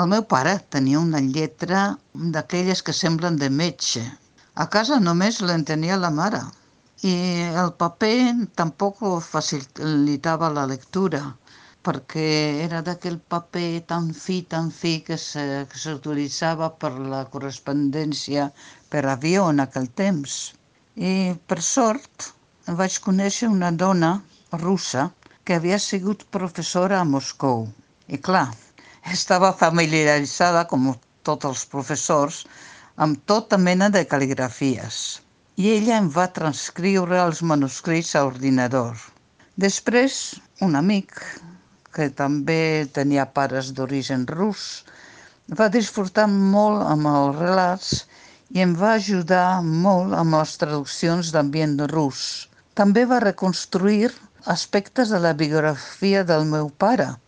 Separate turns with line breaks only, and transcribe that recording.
El meu pare tenia una lletra d'aquelles que semblen de metge. A casa només l'entenia la mare. I el paper tampoc facilitava la lectura, perquè era d'aquell paper tan fi que s'utilitzava per la correspondència per avió en aquell temps. I per sort vaig conèixer una dona russa que havia sigut professora a Moscou. I clar, estava familiaritzada, com tots els professors, amb tota mena de cal·ligrafies. I ella em va transcriure els manuscrits a ordinador. Després, un amic, que també tenia pares d'origen rus, va disfrutar molt amb els relats i em va ajudar molt amb les traduccions d'ambient rus. També va reconstruir aspectes de la biografia del meu pare,